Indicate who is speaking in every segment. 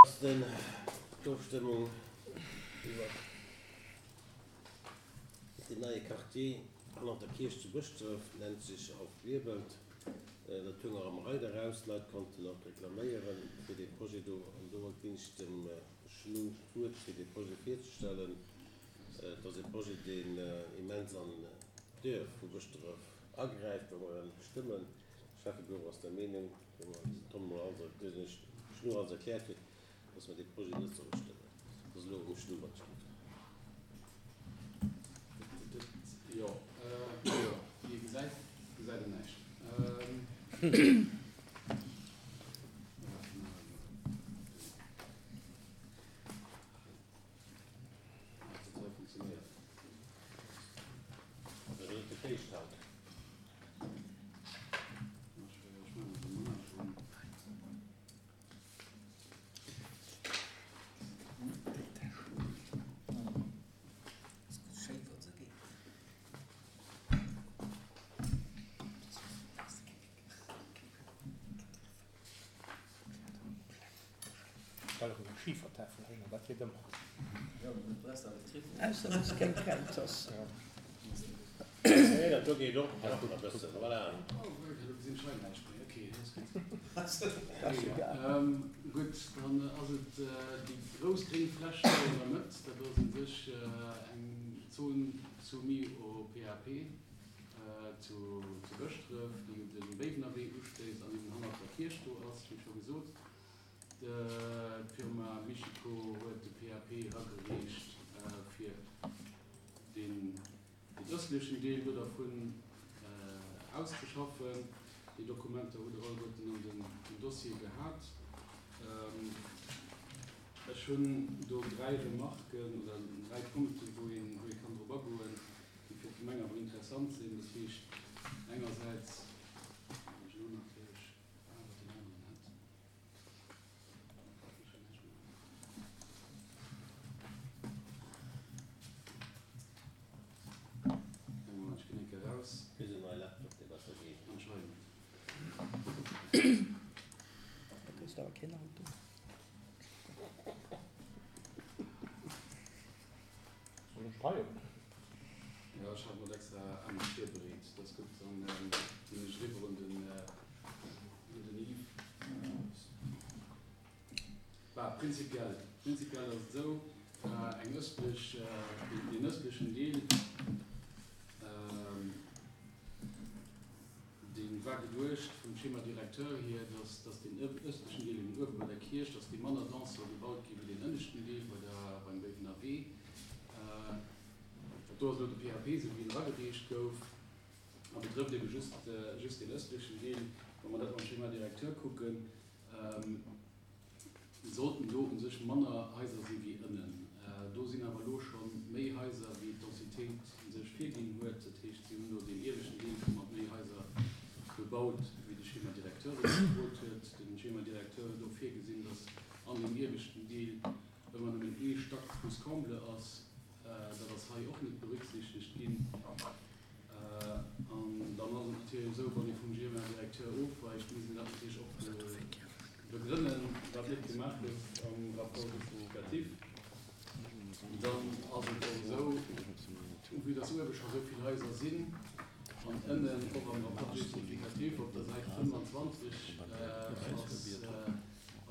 Speaker 1: Ass den d'Ofstëmmung iwwer deen neie Quartier hannert der Kierch zu Bëschdref, nennt sech Auf Wirbelt. Dat goung och am Reiter eraus. D'Leit konnten och reklaméiere fir dee Projet do. An do ginn ech dem Schnu d'Wuert, fir dee Projet virzestellen. Et ass e Projet, deen immens an d'Duerf vu Bëschdref agräift, wa mer en stëmmen. De Schäffebüro ass der Meenung, wéi mer den Tom mol alles, den Schnu alles erkläert huet, dass mer dee Projet net solle stëmmen. Et ass elo um Schnu wann ech gutt.
Speaker 2: Jo, jo, wéi ee gesäit, gesäit een näischt.
Speaker 3: Stell erëm eng Schifertafel hin an dat geet ëmmer.
Speaker 4: Ausser dass keng Kräiz ass.
Speaker 1: Nee, dat do geet och nach e bëssen, voilà.
Speaker 2: Gutt, dann ass et déi grouss gréng Fläch do an der Mëtt. Dat ass u sech eng Zon soumis au PAP zu Bëschdref, déi un de Béiwener Wee ustéisst an eben hannert der Kierch do ass, wéi scho gesot. D'Firma Michiko huet de PAP eragereecht fir deen ëstlechen Deel do dervun auszeschaffen. Déi Dokumenter hutt Der alleguerten an dem Dossier gehat. Ech hunn do dräi Remarken oder dräi Punkten, wou ee kann drop agoen, déi fir d'Gemeng awer interessant sinn. Dat heescht engersäits, wann ech elo natierlech awer deen aneren hätt.
Speaker 4: Da kriss de awer keen Auto.
Speaker 3: Soll ech schreiwen?
Speaker 2: Jo, ech hat mer extra anescht virbereet. Dat ass gutt, dann ginn ech eriwwer un den un den Yves. Bah, prinzipiell, prinzipiell ass et esou, eng ëstlech, deen ëstlechen Deel, dee war geduecht vum Schéma directeur hier, dass, dass deen ëstlechen Deel eben uewe bei der Kierch, dass dee manner dense soll gebaut gi wéi deen ënneschten Deel bei der, beim Béiwener Wee. Dat do ass elo de PAP, esou wéi en eragereecht gouf, a betrëfft ebe just, just deen ëstlechen Deel. Wa mer dat mam Schéma directeur kucken, sollten do u sech manner Haiser si wéi ënnen. Do sinn awer elo scho méi Haiser, wéi d'Densitéit u sech virginn huet. Dat heescht, si hunn do deen ieweschten Deel scho mat méi Haiser bebaut, wéi de Schéma directeur et gefrot huet. De Schéma directeur huet och virgesinn, datt an deem ieweschten Deel ëmmer nëmmen ee Stack plus comble ass. Dat ass hei och net berücksichtegt ginn. An dann ass et natierlech esou, wann ee vum GMA-Directeur ofweicht, muss een dat natierlech och begrënnen, wat net gemaach gouf am Rapport justificatif. Dann ass et och esou, vue dass uewe scho sou vill Haiser sinn an ënnen och am Rapport justificatif op der Säit 25 ass,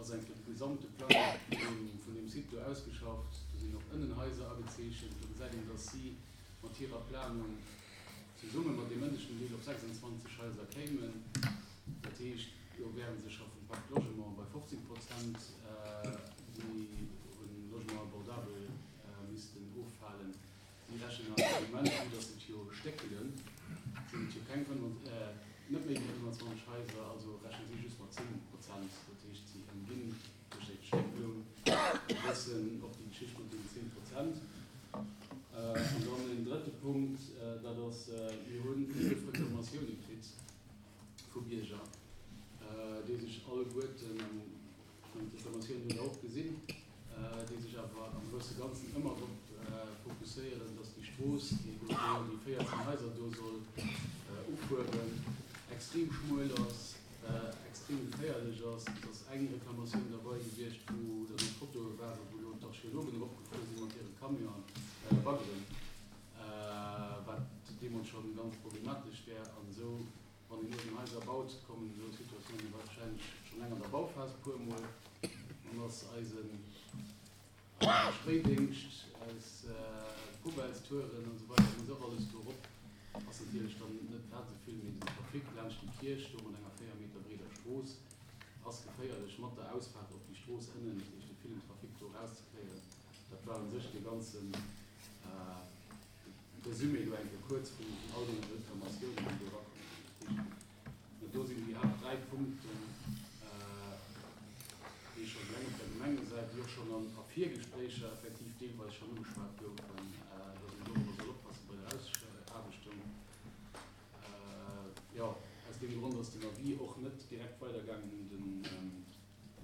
Speaker 2: ass eng Kéier de gesamte Plang vun deem Site do ausgeschafft. Do sinn och ënnen Haiser agezeechent. Do gesäit een, dass si mat hirer Planung zesumme mat deem ënneschten Deel op 26 Haiser kéimen. Dat heescht, do wäre se scho vum Pacte Logement bei 15 Prozent, déi un Logement abordable missten offalen. Si rechnen awer am Moment, vue dass et jo stéckelen, sinn et jo keng net méi wéi 25 Haiser, also rechne si just mat 10 Prozent. Dat heescht, si ëmginn duerch déi Stéckelung e bëssen och déi Geschicht mat deenen 10 Prozent. An dann en drëtte Punkt, dat ass, mir hu 11 Reklamatioune kritt vu Bierger, déi sech alleguerten, an d'Reklamatiounen hutt Der och gesinn, déi sech awer am grousse Ganzen ëmmer drop fokusséieren, dass déi Strooss, déi do déi 14 Haiser do soll ufueren, extrem schmuel ass, extrem geféierlech ass. Et ass eng Reklamatioun derbei gewiescht, wou dann och. Baggeren, wat deemools scho ganz problematesch wär. An esou, wann een uewen Haiser baut, kommen esou Situatiounen wahrscheinlech schonn eleng an der Bauphas e puermol. An ass eisen Eise Spéidéngscht, eis Poubellstouren an esou weider muss och alles do erop. Ass natierlech dann net grad esou vill, mee den Trafic laanscht déi Kierch do mat enger 4 Meter breeder Strooss ass geféierlech mat der Ausfaart op déi Strooss ënnen, dat heescht de villen Trafic do erauszekréien. Dat war u sech dee ganze Resumé do eng Kéier kuerz vun all deene Reklamatiounen, déi do erakomm sinn. Dat heescht, Mä do sinn déi Haapt 3 Punkten, déi scho eleng op der Gemengesäit, déi och schonn an a Virgespréicher effektiv deelweis schonn ugeschwat goufen, dass een dorobber soll oppasse bei der Ausaarbechtung. Jo, aus deem Grond ass den Avis och net direkt weidergaangen un den un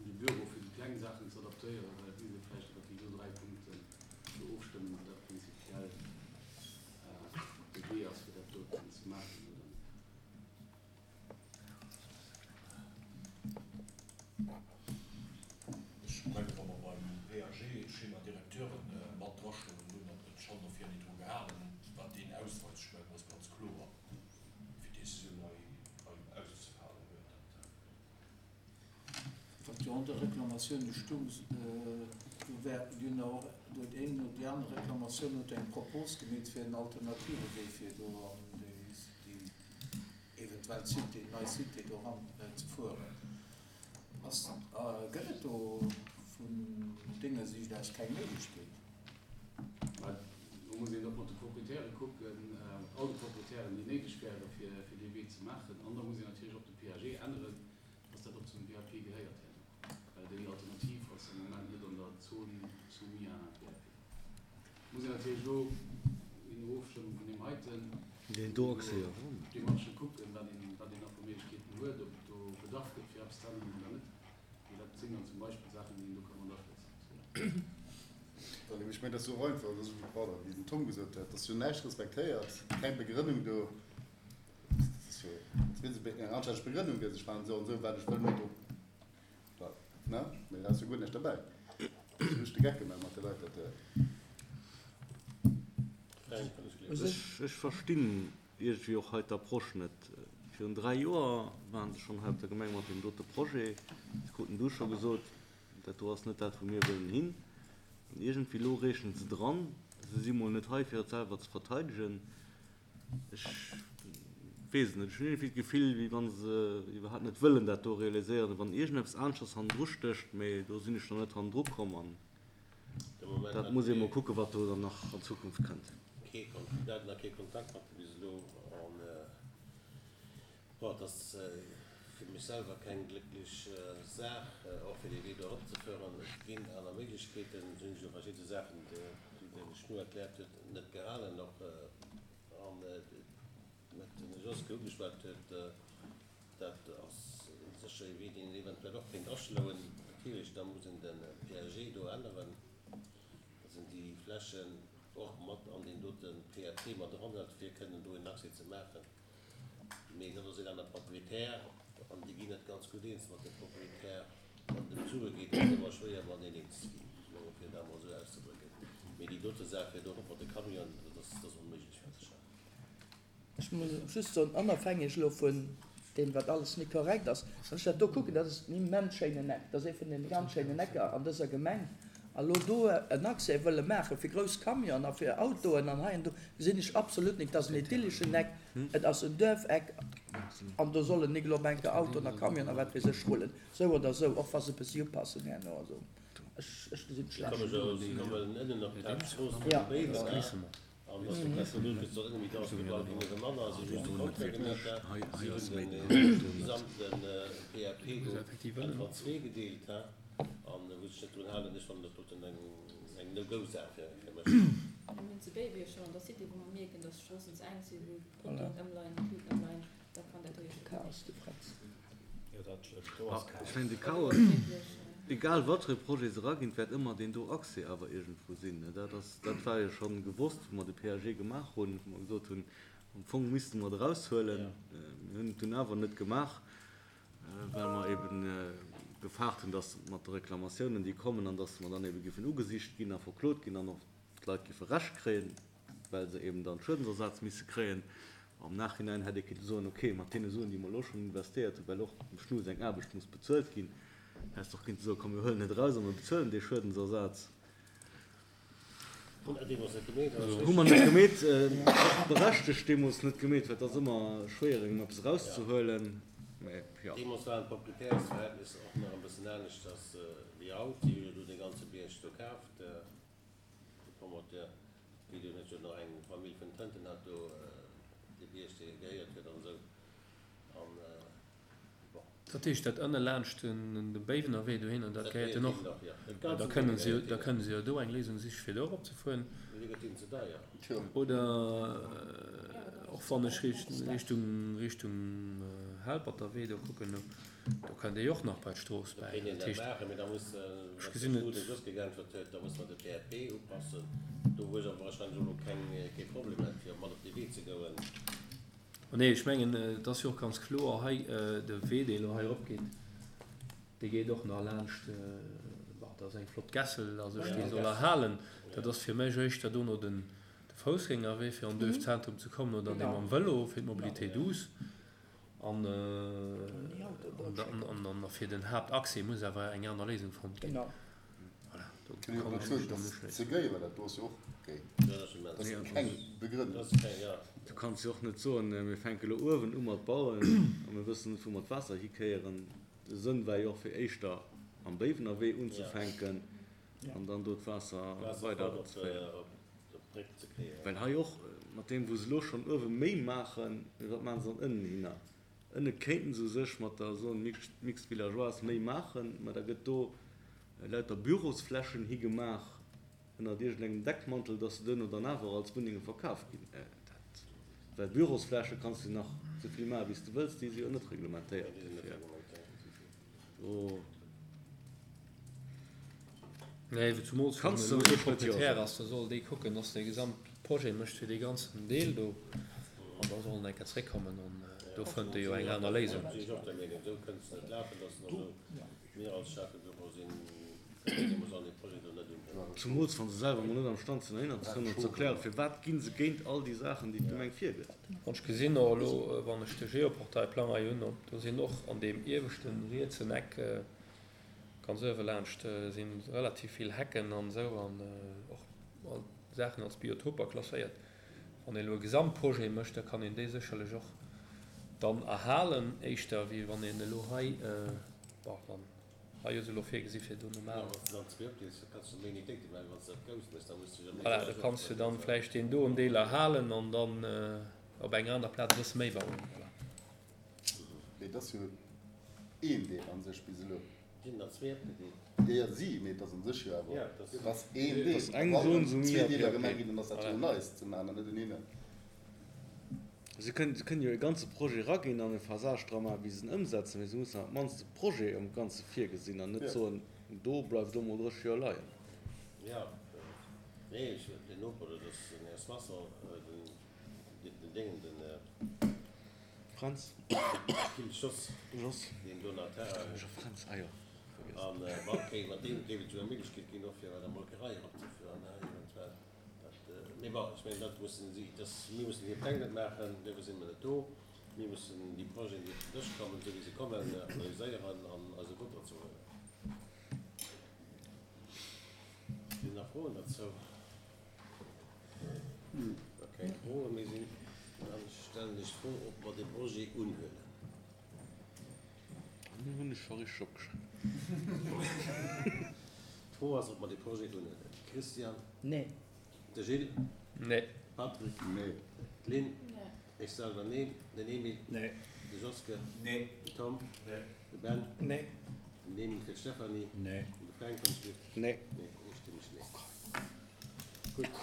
Speaker 2: de Büro, fir déi kleng Saachen ze adaptéieren, well et misst ee vläicht iwwer déi do 3 Punkten do ofstëmmen, ob dat prinzipiell de Wee ass, fir dat doten ze maachen oder net.
Speaker 5: Ech mengen, wa mer beim PAG Schéma directeur mat drastoen hunn an et schonn dofir net dru gehalen hunn, wat deen ausweist, ech mengen, ass ganz kloer, wéi d'Décisioun hei auszefalen huet.
Speaker 6: Dat. Wat jo an de Reklamatioune stung, do wär, déi hunn och, do huet een no déi aner Reklamatioun huet eng Propos gemeet fir en alternative Wee fir do an déi eventuell Cité, nei Cité do eran ze fueren. Ass, gëtt et do vun denger Siicht aus keng Méiglechkeet?
Speaker 2: Mä do muss een och mat de Proprietäre kucken, mat all de Proprietären, déi néideg wäre fir dee Wee ze maachen. An da muss een natierlech och de PAG änneren, dass dat och zum PAP gehéiert herno, well déi Alternativ ass am Moment net an der Zone soumis à un PAP. Muss een natierlech elo in Ofstëmmung vun deem heiten Demarchë kucken, wat een wat een nach vu Méiglechkeeten huet, ob et do Bedarf gëtt fir eppes ze änneren oder net. Mee dat sinn dann zum Beispill Saachen, déi een do ka mat afléissen loossen.
Speaker 7: Ech mengen, dat ass jo och einfach, dat ass esou, pardon, wéi den Tom gesot huet, et ass jo näischt respektéiert, keng Begrënnung do. Dat ass jo, als wier se eng anstänneg Begrënnung gëtt, ech maachen esou an esou, well ech wëll méi do, ne? Mee da ass jo guer näischt derbäi. Dat ass just de Geck gemaach mat de Leit, dat.
Speaker 8: Ech verstinn iergendwéi och hei d'Approche net. Virun 3 Joer waren se schonn hei op der Gemeng mat deem dote Projet. Se kruten du scho gesot, dat do ass net dat, wou mir wëllen hin. An iergendwéi elo reechen se dran. Se si mol net hei, fir et selwer ze verteidegen. Ech weess et net, ech hunn iergendwéi d'Gefill, wéi wa se iwwerhaapt net wëllen dat do realiséieren, wann iergendeppes aneschters hannendru stécht, mee do sinn ech nach net hannendru komm an dat muss ee mol kucken, wat do dann nach an Zukunft kënnt.
Speaker 1: Kee Mir haten nach kee Kontakt mat bis elo an bon, et ass fir mech selwer keng glécklech Saach, och fir dee Wee do eropzefören. Et ginn aner Méiglechkeeten, et hunn sech u verschidde Saachen, déi de Schnu erkläert huet, net gehalen och an wat den Josque ugeschwat huet, dat ass sécher ee Wee, deen een eventuell och kéint aschloen. Natierlech, da muss een de PAG do änneren, da sinn déi Flächen och mat an deen dote PAP mat eranhëlt, fir kënnen do en Accès ze maachen. Mee dat ass een aner Proprietär an déi ginn net ganz gutt eens mat dem Proprietär. Wann et ëm d'Sue geet, ass et ëmmer schwéier mateneen eens ze ginn, fir dat emol esou auszedrécken. Mee déi dote Saach fir do erop mat de Camionen, dat ass, dat ass onméiglech wat ech hei.
Speaker 4: Ech muss just soen, onofhängeg elo vun deem, wat alles net korrekt ass, wann ech dat do kucken, dat ass en immens schéinen Eck, dat ass ee vun deene ganz schéinen Ecker an dëser Gemeng, a lo do en Accès wëlle maache fir grouss Camionen a fir Autoen an hei an do, gesinn ech absolut nik. Et ass en idylleschen Eck, et ass en Duerfeck an do sollen nik elo op eng Kéier Autoen a Camionen a wat weess ech rullen, sou oder sou, och wa se e bëssi upassen herno. Also ech gesinn et schlecht.
Speaker 9: Mir hunn zu Béiwesch schonn an der Cité, wou mer mierken, dass d'Stroossen ze enk sinn, wou d'Potoen ëmleien, d'Luuten ëmleien, da kann dat jo
Speaker 4: Chaos, de Fränz.
Speaker 8: Ech mengen de Chaos, egal wat fir e Projet se eraginn, et wäert ëmmer deen do Accès awer iergendwou sinn. Dat ass, dat war jo scho gewosst, wou mer de PAG gemaach hunn, wou mer gesot hunn, am Fong misste mer et eraushuelen. Mir hunn et dunn awer net gemaach, well mer eeben gefaart hunn, datt mat de Reklamatiounen, déi kommen, an datt mer dann eebe géifen ugesicht ginn a verklot ginn an och. d'Leit géife Recht kréien, well se eben dann Schuedensersaz misse kréien. Am Nachhinein hätt ee kéinte soen, ok, mat deene Suen, déi mer elo schonn investéiert hunn, well och dem Schnu seng Aarbecht muss bezuelt ginn, häss de och kéinte soen, komm mir huelen et eraus a mir bezuelen dee Schuedensersaz. Hu mer net gemeet, och berechtegt deemools net gemeet, well et ass ëmmer schwéier engem eppes erauszehuelen, mä jo.
Speaker 1: Deemools waren d'Proprietärsverhältnisser och nach e bëssen aneschters wéi haut. Si hunn jo do dee ganze Bierg do kaaft, de Promoteur, wéi do net jo nach eng Famill vun Tënten hat do dee Bierg, dee gehéiert huet an esou. An bon.
Speaker 10: Dat heescht, dat ënne laanscht de Béiwener Wee dohinner, dat gehéiert jo och. Da kënnen se jo, da kënnen se jo do eng Léisung siche fir do eropzefueren. Oder och wann ech Richtung, Richtung Helperter Wee do kucken, do kënnt ee jo och nach bei d'Strooss bäi. Dat heescht, ech gesinn et. Nee, ech mengen, et ass jo och ganz kloer hei, de Wee, dee elo hei eropgeet, dee geet och nach laanscht, bon, dat ass eng flott Gässel a sech, déi soll erhalen. Dat ass fir mech éischter dono de Foussgängerwee, fir an d'Duerfzentrum ze kommen, oder dee mam Vëlo fir d'Mobilité douce. An fir den Haaptaccès muss awer eng aner Léisung fonnt ginn. Voilà, do kann ech mech dann uschléissen.
Speaker 8: Du kanns jo och net soen, mir fänke lo uewen u mat bauen a mir wëssen net, wou mer d'Waasser hikéieren. De Sënn war jo och, fir éischter am Béiwener Wee unzefänken an dann do d'Waasser weiderzeféieren. Well hei och, mat deem wou se elo schonn uewe méi maachen, mee wat maache se dann ënnen hinner? Ënne kéinten se u sech mat der Zone mixte villageoise méi maachen, mä da gëtt do lauter Bürosflächen higemaach ënnert iergendengem Deckmantel, dass se duerno dann awer als Wunnenge verkaf ginn. Dat, well Bürosfläche kanns du nach esou vill maachen, wéi s de wëlls, déi si jo net reglementéiert dofir. Do
Speaker 10: Nee, zumools wann
Speaker 8: kanns de
Speaker 10: elo
Speaker 8: u
Speaker 10: ee
Speaker 8: sech net jo
Speaker 10: Proprietär
Speaker 8: soen.
Speaker 10: ass, da soll dee kucken, dass dee Gesamtprojet mécht fir dee ganzen Deel do an da soll en eng Kéier zréckkommen an do fënnt e jo eng aner Léisung.
Speaker 1: Mir als Schäffebüro sinn deemools an dee Projet do net unhuelen.
Speaker 8: Zumools wa se selwer mol net am Stand sinn dohinner ze kommen an ze erklären, firwat gi se géint all déi Saachen, déi d'Gemeng virgëtt.
Speaker 10: An ech gesinn och elo, wann ech de Geoportail-Plang hei hunn, do sinn och an deem ieweschte rietsen Eck, ganz uewe laanscht, si relativ vill Hecken an esou an och Saachen als Biotoper klasséiert. Wann een elo e Gesamtprojet mécht, da kann een déi sécherlech och dann erhalen, éischter wéi wann een elo hei, bon, dann hei ass elo virgesi fir do normal. Voilà, do kanns de dann vläicht deen doen Deel erhalen an dann op enger aner Plaz e bësse méi bauen. Voilà.
Speaker 7: Mee et ass jo een Deel an sech bis elo.
Speaker 1: Sinn der zwee opgedeelt?
Speaker 7: Jo, jo, si, mee et ass an sech jo awer, et ass een Deel.
Speaker 8: Et ass eng
Speaker 7: Wann
Speaker 8: Zone
Speaker 7: en zwee
Speaker 8: soumis à
Speaker 7: Deeler
Speaker 8: PAP.
Speaker 7: gemaach ginn, dann ass dat jo en neist ze maachen an net en een.
Speaker 8: Si kënnen jo e ganze Projet eraginn an e Phasage dra maachen, wéi se en ëmsetzen, mee se mussen awer op d'mannst de Projet am Ganze virgesinn an net soen, do bleift elo mol 30 Joer leien.
Speaker 1: Jo, nee, ech, den Noper do, dat ass den Här Soisson, den Déngen, den.
Speaker 8: Fränz.
Speaker 1: Gilles Jos.
Speaker 8: Jos.
Speaker 1: Deen do nach Terrain huet.
Speaker 8: Fränz, ah jo, vergiess.
Speaker 1: An wann kéint mat deem géif et jo eng Méiglechkeet ginn och fir bei der Molkerei eropzefueren, eventuell. Dat, mee bon, ech mengen dat mussen si, dass, mir mussen hir Pläng net maachen, duerfir si mer net do. Mir mussen déi Projeten, déi op den Dësch kommen, esou wéi se kommen, analyséieren an eise Vott dozou huelen. Sinn nach Froen dozou? Wa keng Froe méi sinn, da stellen ech d'Fro, ob mer de Projet unhuelen.
Speaker 8: Elo hunn ech scho richteg opgeschriwwen.
Speaker 1: D'Fro ass, ob mer de Projet unhuelen. Christian?
Speaker 4: Nee.
Speaker 1: De Gilles?
Speaker 10: Nee.
Speaker 1: Patrick?
Speaker 7: Nee.
Speaker 1: D'Lynn?
Speaker 9: Nee.
Speaker 1: Ech selwer neen. Den Emile?
Speaker 3: Nee.
Speaker 1: De Joske?
Speaker 3: Nee.
Speaker 1: Den Tom?
Speaker 3: Nee.
Speaker 1: De Ben?
Speaker 3: Nee.
Speaker 1: Den Emile fir d'Stéphanie?
Speaker 3: Nee.
Speaker 1: An de Fränk, wann ech giff?
Speaker 8: Nee.
Speaker 1: Nee, eestëmmeg nee. Gutt.